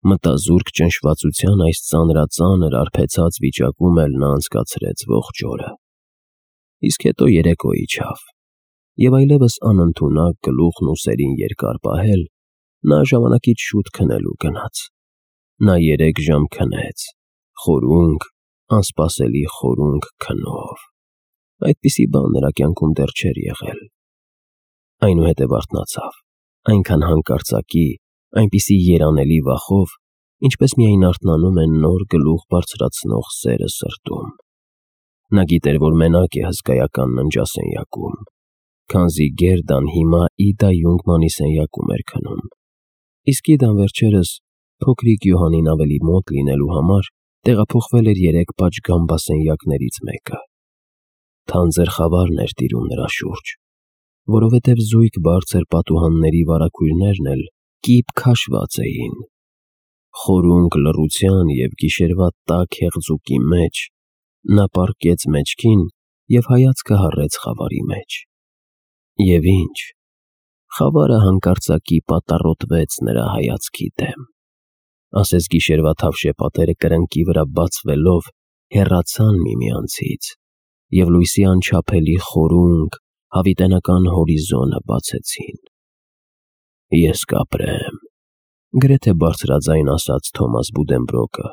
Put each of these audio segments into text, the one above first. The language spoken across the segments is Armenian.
Մտազուրկ ճնշվածության այս ծանրածանր արբեցած վիճակում էլ նա անցկացրեց ողջ օրը։ Իսկ հետո երեկո իջավ, և այլևս անընդունակ գլուխն ուսերին երկար պահել, նա ժամանակից շուտ քնելու գնաց։ Նա 3 ժամ քնեց, խորունգ, անսպասելի խորունգ քնով։ Այդպիսի բան նրա կյանքում դեռ չէր եղել։ Այնուհետև արթնացավ, այնքան հանկարծակի, այնպիսի երանելի վախով, ինչպես միայն արթնանում է նոր գլուխ բարձրացնող սերը սրտում։ Նա գիտեր, որ մենակ է հսկայական ննջասենյակում, քանզի Գերդան հիմա Իդա Յունգմանի սենյակում էր քնում, իսկ Իդան վերջերս, փոքրիկ Յոհանին ավելի մոտ լինելու համար, տեղափոխվել էր 3 պատշգամբասենյակներից մեկը։ Թանձր խավարն էր տիրում նրա շուրջ, որովհետև զույգ բարձր պատուհանների վարագույրներն էլ կիպ քաշված էին։ Խորունգ լռության և գիշերվա տաք հեղձուկի մեջ նա պառկեց մեջքին և հայացքը հառեց խավարի մեջ։ Եվ ինչ, խավարը հանկարծակի պատառոտվեց նրա հայացքի դեմ, ասես գիշերվա թավշյա պատերը կրնկի վրա բացվելով հեռացան միմյանցից, և լույսի անչափելի խորունգ, հավիտենական հորիզոնը բացեցին։ «Ես կապրեմ», գրեթե բարձրաձայն ասաց Թոմաս Բուդենբրոկը,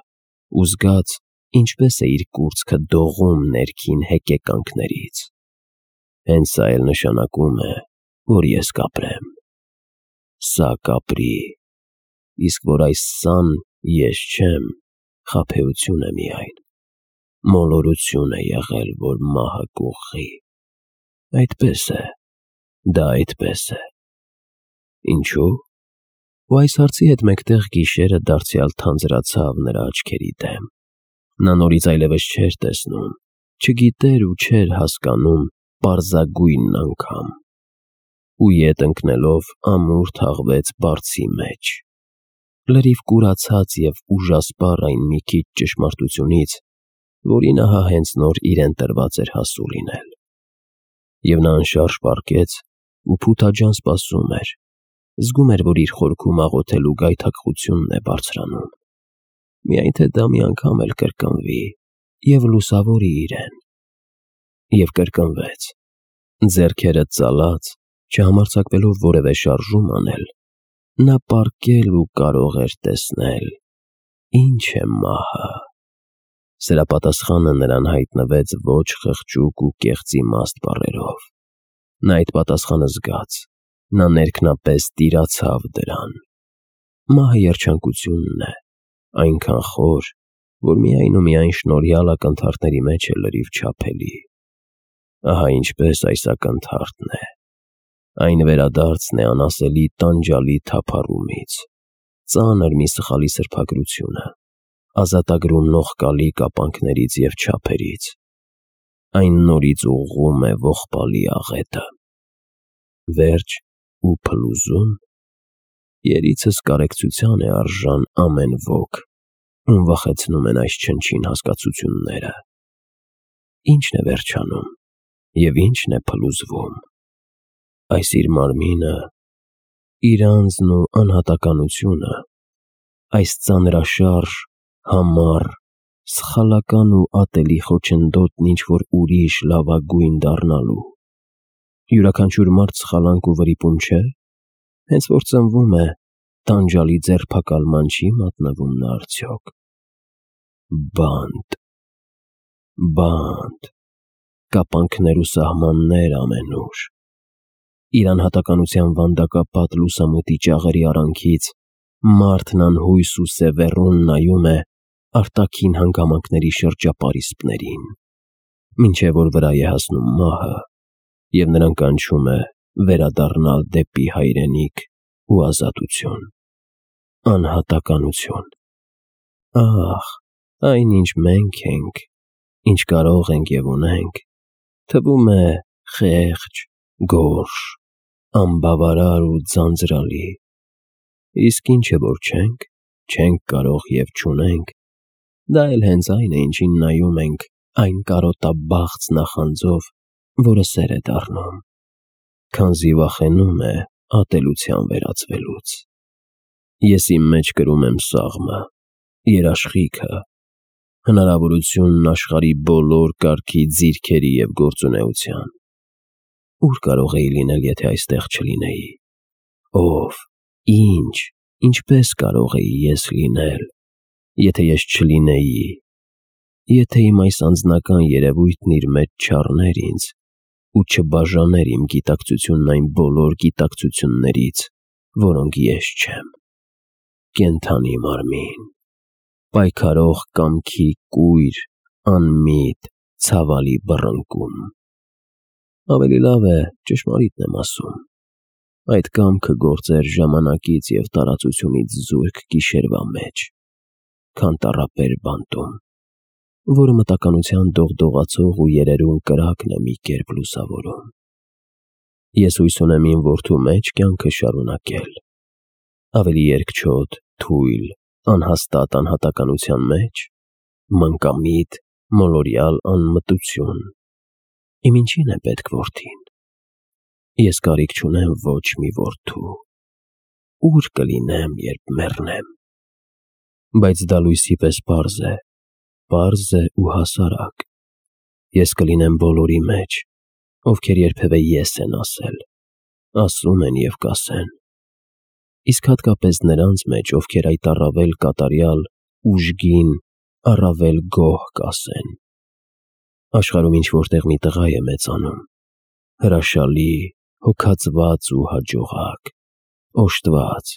ու զգաց, ինչպես է իր կուրծքը դողում ներքին հեկեկանքներից։ «Հենց սա էլ նշանակում է, որ ես կապրեմ։ Սա կապրի, իսկ որ այս սան ես չեմ, խաբեություն է միայն, մոլորություն է եղել, որ մահը կուղղի։ Այդպես է, դա այդպես է»։ Ինչու՞։ Ու այս հարցի հետ մեկտեղ գիշերը դարձյալ թանձրացավ նրա աչքերի դեմ։ Նա նորից այլևս չէր տեսնում, չգիտեր ու չէր հասկանում պարզագույնն անգամ։ Ու ետ ընկնելով ամուր թաղվեց բարձի մեջ։ Լրիվ կուրացած և ուժասպառ այն մի քիչ ճշմարտությունից, որին ահա հենց նոր իրեն տրված էր հասու լինել։ Եվ նա անշարժ պառկեց ու փութաջան սպասում էր, զգում էր, որ իր խորքում աղոթելու գայթակղությունն է բարձրանում։ Միայն թե դա մի անգամ էլ կրկնվի և լուսավորի իրեն։ Եվ կրկնվեց։ Ձեռքերը ծալած, չհամարձակվելով որևէ շարժում անել, նա պառկել ու կարող էր տեսնել, ինչ է մահը։ Սրա պատասխանը նրան հայտնվեց ոչ խղճուկ ու կեղծիմաստ բառերով։ Նա այդ պատասխանը զգաց, նա ներքնապես տիրացավ դրան։ Մահը երջանկությունն է, այնքան խոր, որ միայն ու միայն շնորհյալ ակնթարթների մեջ է լրիվ չափելի։ Ահա ինչպես այս ակնթարթն է։ Այն վերադարձն է անասելի տանջալի թափառումից, ծանր մի սխալի սրբագրությունը, ազատագրում նողկալի կապանքներից և չափերից։ Այն նորից ուղղում է ողբալի աղետը։ Վերջ ու փլուզում։ Երիցս կարեկցության է արժան ամեն ոք, ում վախեցնում են այս չնչին հասկացությունները։ Ի՞նչն է վերջանում և ի՞նչն է փլուզվում։ Այս իր մարմինը, իր անձն ու անհատականությունը, այս ծանրաշարժ, համառ, սխալական ու ատելի խոչընդոտն ինչ-որ ուրիշ լավագույն դառնալու։ Յուրաքանչյուր մարդ սխալանք ու վրիպում չէ՞։ Հենց որ ծնվում է, տանջալի ձերբակալման չի մատնվում նա արդյոք։ Բանտ, բանտ, կապանքներ ու սահմաններ ամենուր։ Իր անհատականության վանդակապատ լուսամուտի ճաղերի արանքից մարդն անհույս ու սևեռուն նայում է արտաքին հանգամանքների շրջապարիսպներին, մինչև որ վրա է հասնում մահը, և նրան կանչում է վերադառնալ դեպի հայրենիք ու ազատություն։ Անհատականություն։ Ահ, այն ինչ մենք ենք, ինչ կարող ենք և ունենք, թվում է խեղճ, գորշ, անբավարար ու ձանձրալի։ Իսկ ինչ է, որ չենք կարող և չունենք, դա էլ հենց այն է, ինչին նայում ենք այն կարոտաբաղձ նախանձով, որը սեր է դառնում, քանզի վախենում է ատելության վերածվելուց։ Ես իմ մեջ կրում եմ սաղմը, երաշխիքը, հնարավորությունն աշխարհի բոլոր կարգի ձիրքերի և գործունեության։ Ուր կարող էի լինել, եթե այստեղ չլինեի։ Ով, ինչ, ինչպես կարող էի ես լինել, եթե ես չլինեի, եթե իմ այս անձնական երևույթն իր մեջ չառներ ինձ ու չբաժաներ իմ գիտակցությունն այն բոլոր գիտակցություններից, որոնք ես չեմ։ Կենդանի մարմին, պայքարող կամքի կույր, անմիտ, ցավալի բռնկում։ Ավելի լավ է, ճշմարիտն եմ ասում, այդ կամքը գործեր ժամանակից և տարածությունից զուրկ գիշերվա մեջ, քան տառապեր բանտում, որը մտականության դողդողացող ու երերուն կրակն է մի կերպ լուսավորում։ Ես հույս ունեմ իմ որդու մեջ կյանքը շարունակել, ավելի երկչոտ, թույլ, անհաստատ անհատականության մեջ, մանկամիտ, մոլորյալ անմտություն։ Իմ ինչին է պետք որդին։ Ես կարիք չունեմ ոչ մի որդու։ Ուր կլինեմ, երբ մեռնեմ։ Բայց դա լույսի պես պարզ է ու հասարակ։ Ես կլինեմ բոլորի մեջ, ովքեր երբևէ ես են ասել, ասում են և կասեն։ Իսկ հատկապես նրանց մեջ, ովքեր այդ առավել կատարյալ, ուժգին, առավել գոհ կասեն։ Աշխարհում ինչ-որտեղ մի տղա է մեծանում, հրաշալի, հոգածված ու հաջողակ, օժտված,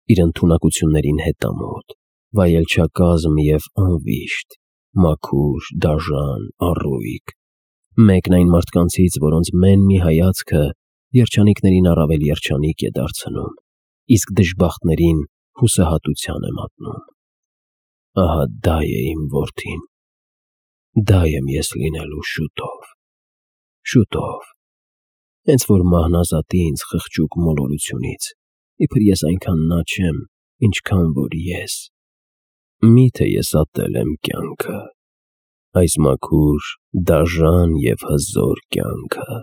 իր ընդունակություններին հետամոտ, վայելչակազմ և անվիշտ, մաքուր, դաժան, առույգ, մեկն այն մարդկանցից, որոնց մեն մի հայացքը երջանիկներին առավել երջանիկ է դարձնում, իսկ դժբախտներին հուսահատության է մատնում։ Ահա դա է իմ որդին, դա եմ ես լինելու շուտով, հենց որ մահն ազատի ինձ խղճուկ մոլորությունից, իբր ես այնքան նա չեմ, ինչքան որ ես։ Միթե ես ատել եմ կյանքը, այս մաքուր, դաժան և հզոր կյանքը,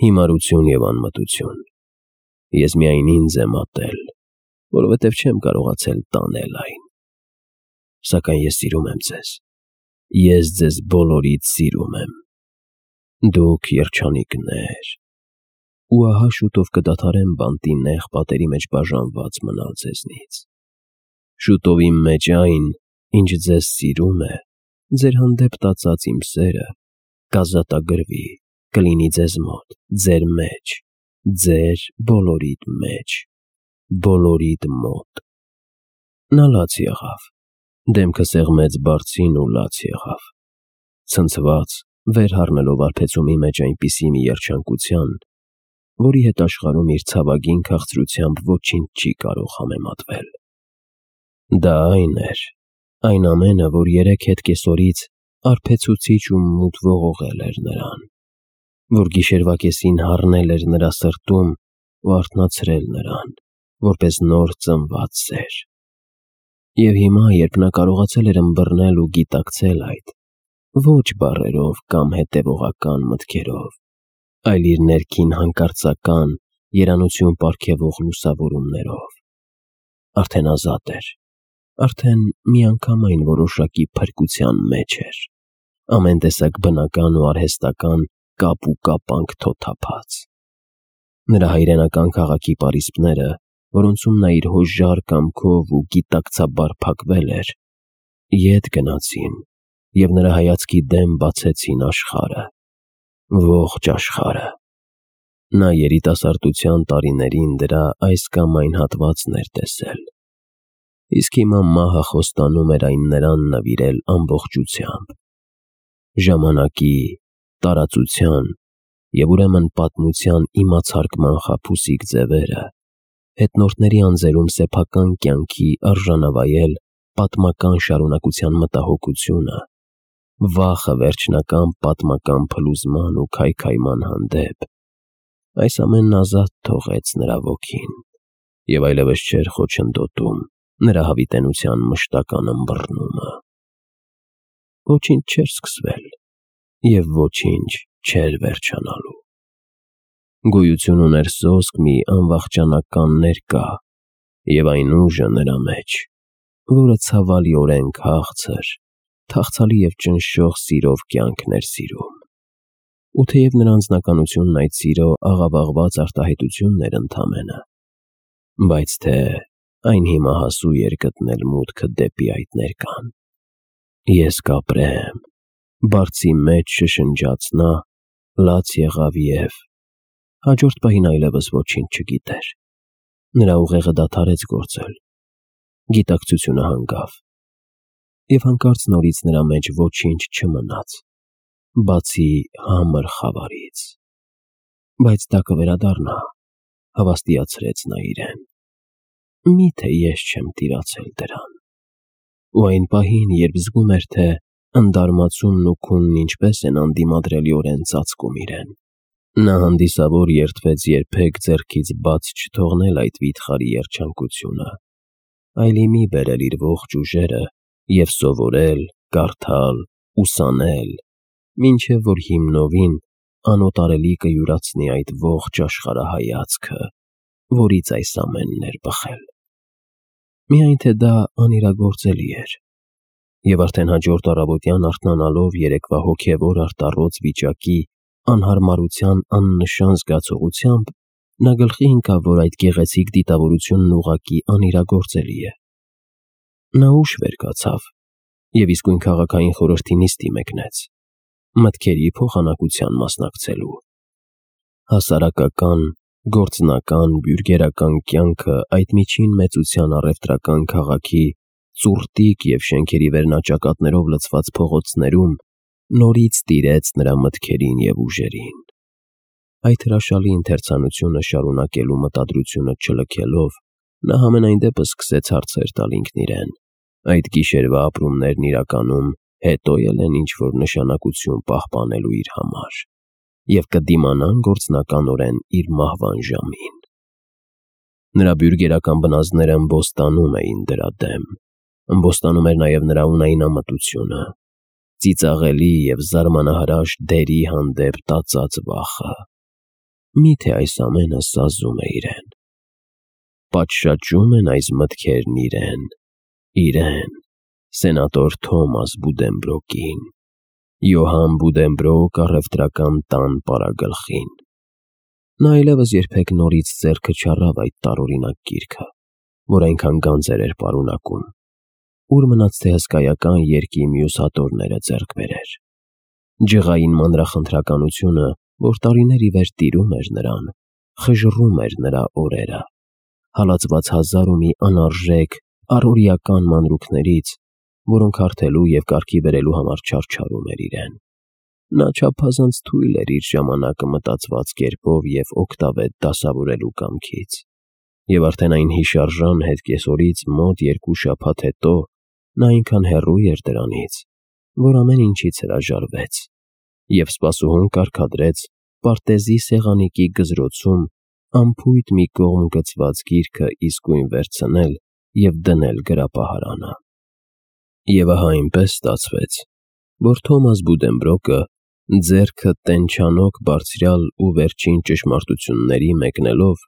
հիմարություն և անմտություն, ես միայն ինձ եմ ատել, որովհետև չեմ կարողացել տանել այն։ Սակայն ես սիրում եմ ձեզ, ես ձեզ բոլորիդ սիրում եմ, դուք երջանիկներ, ու ահա շուտով կդադարեմ բանտի նեղ պատերի մեջ բաժանված մնալ ձեզնից։ Շուտով իմ մեջ այն, ինչ ձեզ սիրում է, ձեր հանդեպ տածած իմ սերը, կազատագրվի, կլինի ձեզ մոտ, ձեր մեջ, ձեր բոլորիդ մեջ, բոլորիդ մոտ։ Նա լաց եղավ, դեմքը սեղմեց բարձին ու լաց եղավ, ցնցված, վեր հառնելով արբեցումի մեջ այնպիսի մի երջանկության, որի հետ աշխարհում իր ցավագին քաղցրությամբ ոչինչ չի կարող համեմատվել։ Դա այն էր, այն ամենը, որ երեկ հետ կեսօրից արբեցուցիչ ու մութ ողողել էր նրան, որ գիշերվա կեսին հառնել էր նրա սրտում ու արթնացրել նրան, որպես նոր ծնված սեր։ Եվ հիմա, երբ նա կարողացել էր ըմբռնել ու գիտակցել այդ, ոչ բառերով կամ հետևողական մտքերով, այլ իր ներքին հանկարծական, երանություն պարգևող լուսավորումներով, արդեն ազատ էր, արդեն միանգամայն որոշակի փրկության մեջ էր, ամեն տեսակ բնական ու արհեստական կապ ու կապանք թոթափած։ Նրա հայրենական քաղաքի պարիսպները, որոնցում նա իր հոժար կամքով ու գիտակցաբար փակվել էր, ետ գնացին և նրա հայացքի դեմ բացեցին աշխարհը, ողջ աշխարհը։ Նա երիտասարդության տարիներին դրա այս կամ այն հատվածն էր տեսել, իսկ հիմա մահը խոստանում էր այն նրան նվիրել ամբողջությամբ։ Ժամանակի, տարածության և ուրեմն պատմության իմացարկման խաբուսիկ ձևերը, հետնորդների անձերում սեփական կյանքի արժանավայել պատմական շարունակության մտահոգությունը, վախը վերջնական պատմական փլուզման ու քայքայման հանդեպ, այս ամենն ազատ թողեց նրա ոգին և այլևս չէր խոչընդոտում նրա հավիտենության մշտական ըմբռնումը։ Ոչինչ չէր սկսվել և ոչինչ չէր վերջանալու։ Գոյություն ուներ սոսկ մի անվախճանական ներկա և այն ուժը նրա մեջ, որը ցավալիորեն քաղցր, թախծալի և ճնշող սիրով կյանքն էր սիրում։ Ու թեև նրա անձնականությունն այդ սիրո աղավաղված արտահայտությունն էր ընդամենը, բայց թե այն հիմա հասու էր գտնել մուտքը դեպի այդ ներկան։ «Ես կապրեմ», բարձի մեջ շշնջաց նա, լաց եղավ և հաջորդ պահին այլևս ոչինչ չգիտեր։ Նրա ուղեղը դադարեց գործել, գիտակցությունը հանգավ, և հանկարծ նորից նրա մեջ ոչինչ չմնաց, բացի համր խավարից։ Բայց դա կվերադառնա, հավաստիացրեց նա իրեն։ Միթե ես չեմ տիրացել դրան։ Ու այն պահին, երբ զգում էր, թե ընդարմացումն ու քունն ինչպես են անդիմադրելիորեն ծածկում իրեն, նա հանդիսավոր երդվեց երբեք ձեռքից բաց չթողնել այդ վիթխարի երջանկությունը, այլ ի մի բերել իր ողջ ուժերը և սովորել, կարդալ, ուսանել, մինչև որ հիմնովին անոտարելի կյուրացնի այդ ողջ աշխարհայացքը, որից այս ամենն էր բխել։ Միայն թե դա անիրագործելի էր, և արդեն հաջորդ առավոտյան արթնանալով երեկվա հոգևոր արտառոց վիճակի անհարմարության աննշան զգացողությամբ, նա գլխի ընկավ, որ այդ գեղեցիկ դիտավորությունն ուղղակի անիրագործելի է։ Նա ուշ վեր կացավ և իսկույն քաղաքային խորհրդի նիստի մեկնեց, մտքերի փոխանակության մասնակցելու։ Հասարակական, գործնական, բյուրգերական կյանքը այդ միջին մեծության առևտրական քաղաքի ծուռտիկ և շենքերի վերնաճակատներով լցված փողոցներում նորից տիրեց նրա մտքերին և ուժերին։ Այդ հրաշալի ընթերցանությունը շարունակելու մտադրությունը չլքելով, նա համենայն դեպս սկսեց հարցեր տալ ինքն իրեն. այդ գիշերվա ապրումներն իրականում հետո են ինչ-որ նշանակություն պահպանելու իր համար և կդիմանան գործնականորեն իր մահվան ժամին։ Նրա բյուրգերական բնազդները ըմբոստանում էին դրա դեմ, ըմբոստանում էր նաև նրա ունայնամտությունը, ծիծաղելի և զարմանահրաշ դերի հանդեպ տածած վախը։ Միթե այս ամենը սազում է իրեն, պատշաճում են այս մտքերն իրեն, սենատոր Թոմաս Բուդենբրոկին, Յոհան Բուդենբրոկ առևտրական տան պարագլխին։ Նա այլևս երբեք նորից ձեռքը չառավ այդ տարօրինակ գիրքը, որ այնքան գանձեր էր պարունակում, ուր մնաց թե հսկայական երկի մյուս հատորները ձեռք բերեր։ Ջղային մանրախնդրականությունը, որ տարիներ ի վեր տիրում էր նրան, խժռում էր նրա օրերը, հալածված հազար ու մի անարժեք առօրեական մանրուքներից, որոնք հարթելու և կարգի բերելու համար չարչարում էր իրեն։ Նա չափազանց թույլ էր իր ժամանակը մտածված կերպով և օգտավետ դասավորելու կամքից, և արդեն այն հիշարժան հետկեսորից մոտ 2 շաբաթ հետո նա այնքան հեռու էր դրանից, որ ամեն ինչից հրաժարվեց և սպասուհուն կարգադրեց պարտեզի սեղանիկի գզրոցում անփույթ մի կողմ գցված գիրքը իսկույն վերցնել և դնել գրապահարանը։ Եվ ահա այնպես ստացվեց, որ Թոմաս Բուդենբրոկը, ձեռքը տենչանոք բարձրյալ ու վերջին ճշմարտությունների մեկնելով,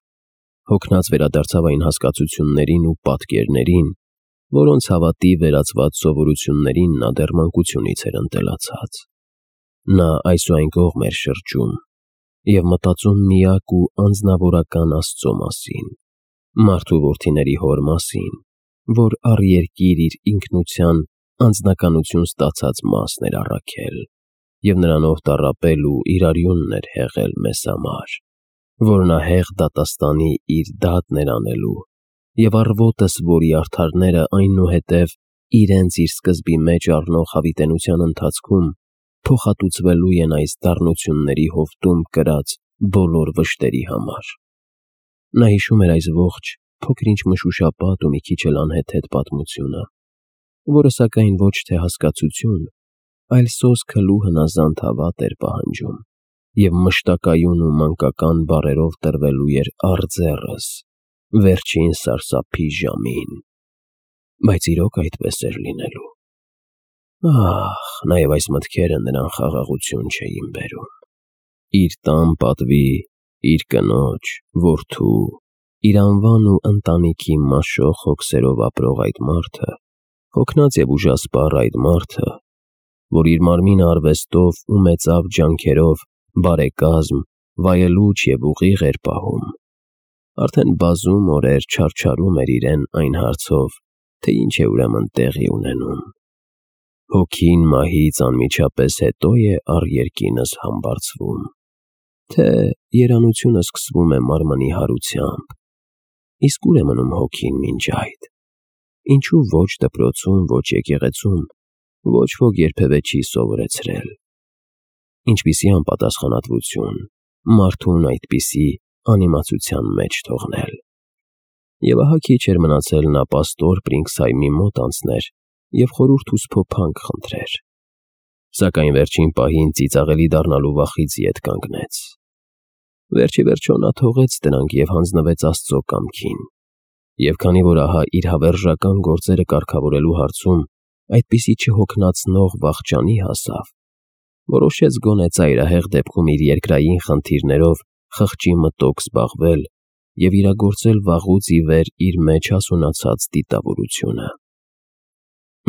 հոգնած վերադարձավ այն հասկացություններին ու պատկերներին, որոնց հավատի վերածված սովորություններին նա դեռ մանկությունից էր ընտելացած։ Նա այս ու այն կողմ էր շրջում և մտածում միակ ու անձնավորական Աստծո մասին, մարդու որդիների Հոր մասին, որ առ երկիր իր ինքնության անձնականություն ստացած մասն էր առաքել և նրանով տառապել ու իր արյունն էր հեղել մեզ համար, որ նա հեղ դատաստանի իր դատն էր անելու և առվոտս, որի արդարները այնուհետև իրենց իր սկզբի մեջ առնող հավիտենության ընթացքում փոխհատուցվելու են այս դառնությունների հովտում կրած բոլոր վշտերի համար։ Նա հիշում էր այս ողջ փոքր-ինչ մշուշապատ ու մի քիչ էլ անհեթեթ պատմությունը, որը սակայն ոչ թե հասկացություն, այլ սոսկալու հնազանդ հավատ էր պահանջում և մշտակայուն ու մանկական բառերով տրվելու էր արձեռս վերջին սարսափի ժամին։ Բայց իրոք այդպես էր լինելու։ Ահ, նաև այս մտքերը նրան խաղաղություն չէին բերում։ Իր տան պատվի, իր կնոջ, որդու Իր անվան ու ընտանիքի մաշող հոգսերով ապրող այդ մարդը, հոգնած և ուժասպառ այդ մարդը, որ իր մարմինը արվեստով ու մեծավ ջանքերով բարեկազմ, վայելուչ և ուղիղ էր պահում, արդեն բազում օրեր չարչարում էր իրեն այն հարցով, թե ինչ է ուրեմն տեղի ունենում։ Հոգին մահից անմիջապես հետո է առ երկինս համբարձվում, թե երանությունը սկսվում է մարմնի հարությամբ, իսկ ուր է մնում հոգին մինչ այդ։ Ինչու ոչ դպրոցում, ոչ եկեղեցում, ոչ ոք երբևէ չի սովորեցրել։ Ինչպիսի անպատասխանատվություն մարդուն այդպիսի անիմացության մեջ թողնել։ Եվ ահա քիչ էր մնացել նա պաստոր Պրինքսհայմի մոտ անցներ և խորհուրդ ու սփոփանք խնդրեր, սակայն վերջին պահին ծիծաղելի դառնալու վախից ետ կանգնեց։ Վերջիվերջո նա թողեց դրանք և հանձնվեց Աստծո կամքին, և քանի որ ահա իր հավերժական գործերը կարգավորելու հարցում այդպիսի չհոգնեցնող վախճանի հասավ, որոշեց գոնե ծայրահեղ դեպքում իր երկրային խնդիրներով խղճի մտոք զբաղվել և իրագործել վաղուց ի վեր իր մեջ հասունացած դիտավորությունը։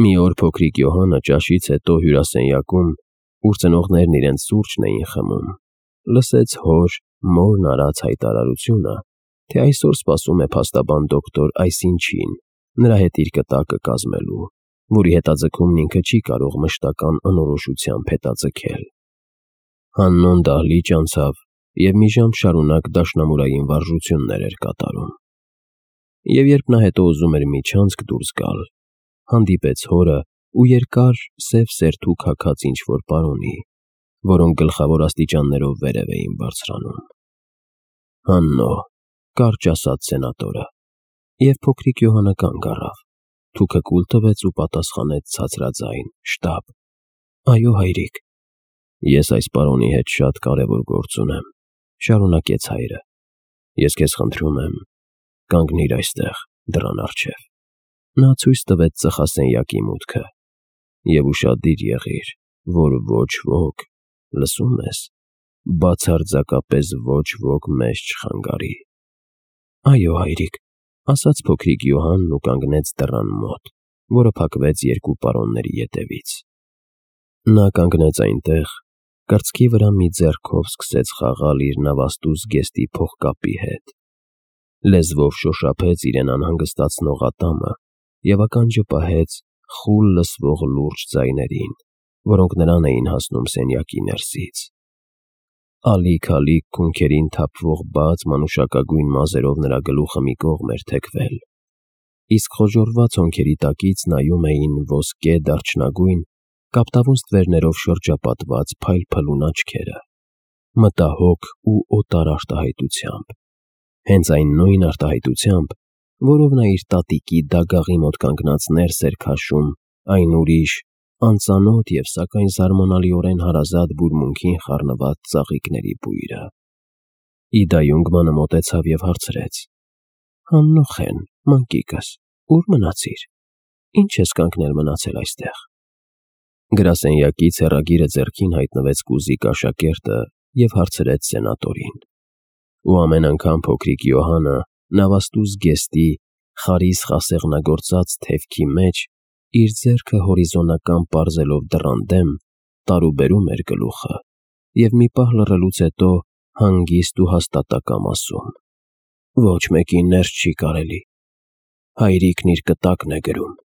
Մի օր փոքրիկ Յոհանը ճաշից հետո հյուրասենյակում, ուր ծնողներն իրենց սուրճն էին խմում, լսեց հոր, մորն արած հայտարարությունը, թե այսօր սպասում է փաստաբան դոկտոր այսինչին նրա հետ իր կտակը կազմելու, որի հետաձգումն ինքը չի կարող մշտական անորոշությամբ հետաձգել։ Հաննոն դահլիճ անցավ և մի ժամ շարունակ դաշնամուրային վարժություններ էր կատարում։ Եվ երբ նա հետո ուզում էր մի չանցք դուրս գալ, հանդիպեց հորը ու երկար սև սերթու քաքած ինչ-որ պարոնի, որոնք գլխավոր աստիճաններով վերև էին բարձրանում։ Հաննո, կարճ ասաց սենատորը, և փոքրիկ Յոհանը կանգ առավ, թուքը կուլ տվեց ու պատասխանեց ցածրաձայն, շտապ. Այո, հայրիկ։ Ես այս պարոնի հետ շատ կարևոր գործ ունեմ, շարունակեց հայրը։ Ես քեզ խնդրում եմ, կանգնիր այստեղ, դռան առջև։ Նա ցույց տվեց ծխասենյակի մուտքը։ Եվ ուշադիր եղիր, որ ոչ ոք, լսում ես, բացարձակապես ոչ ոք մեզ չխանգարի։ Այո, հայրիկ, ասաց փոքրիկ Յոհանն ու կանգնեց դռան մոտ, որը փակվեց երկու պարոնների ետևից։ Նա կանգնեց այնտեղ, կրծքի վրա մի ձեռքով սկսեց խաղալ իր նավաստու զգեստի փողկապի հետ, լեզվով շոշափեց իրեն անհանգստացնող ատամը և ականջը պահեց խուլ լսվող լուրջ ձայներին, որոնք նրան էին հասնում սենյակի ներսից։ Ալիք-ալիք քունքերին թափվող բաց մանուշակագույն մազերով նրա գլուխը մի կողմ էր թեքվել, իսկ խոժոռված հոնքերի տակից նայում էին ոսկե դարչնագույն, կապտավուն ստվերներով շրջապատված փայլփլուն աչքերը, մտահոգ ու օտար արտահայտությամբ, հենց այն նույն արտահայտությամբ, որով նա իր տատիկի դագաղի մոտ կանգնած ներս էր քաշում այն ուրիշ, անծանոթ և սակայն զարմանալիորեն հարազատ բուրմունքին խառնված ծաղիկների բույրը։ Իդա Յունգմանը մոտեցավ և հարցրեց. Հաննոխեն, մանկիկս, ուր մնացիր։ Ինչ ես կանգնել մնացել այստեղ։ Գրասենյակից հեռագիրը ձեռքին հայտնվեց կուզիկ աշակերտը և հարցրեց սենատորին։ Ու ամեն անգամ փոքրիկ Յոհանը նավաստու զգեստի խարիս խասեղնագործած թևքի մեջ իր ձեռքը հորիզոնական պարզելով դռան դեմ, տարուբերում էր գլուխը և մի պահ լռելուց հետո հանգիստ ու հաստատակամ ասում. Ոչ մեկին ներս չի կարելի։ Հայրիկն իր կտակն է գրում։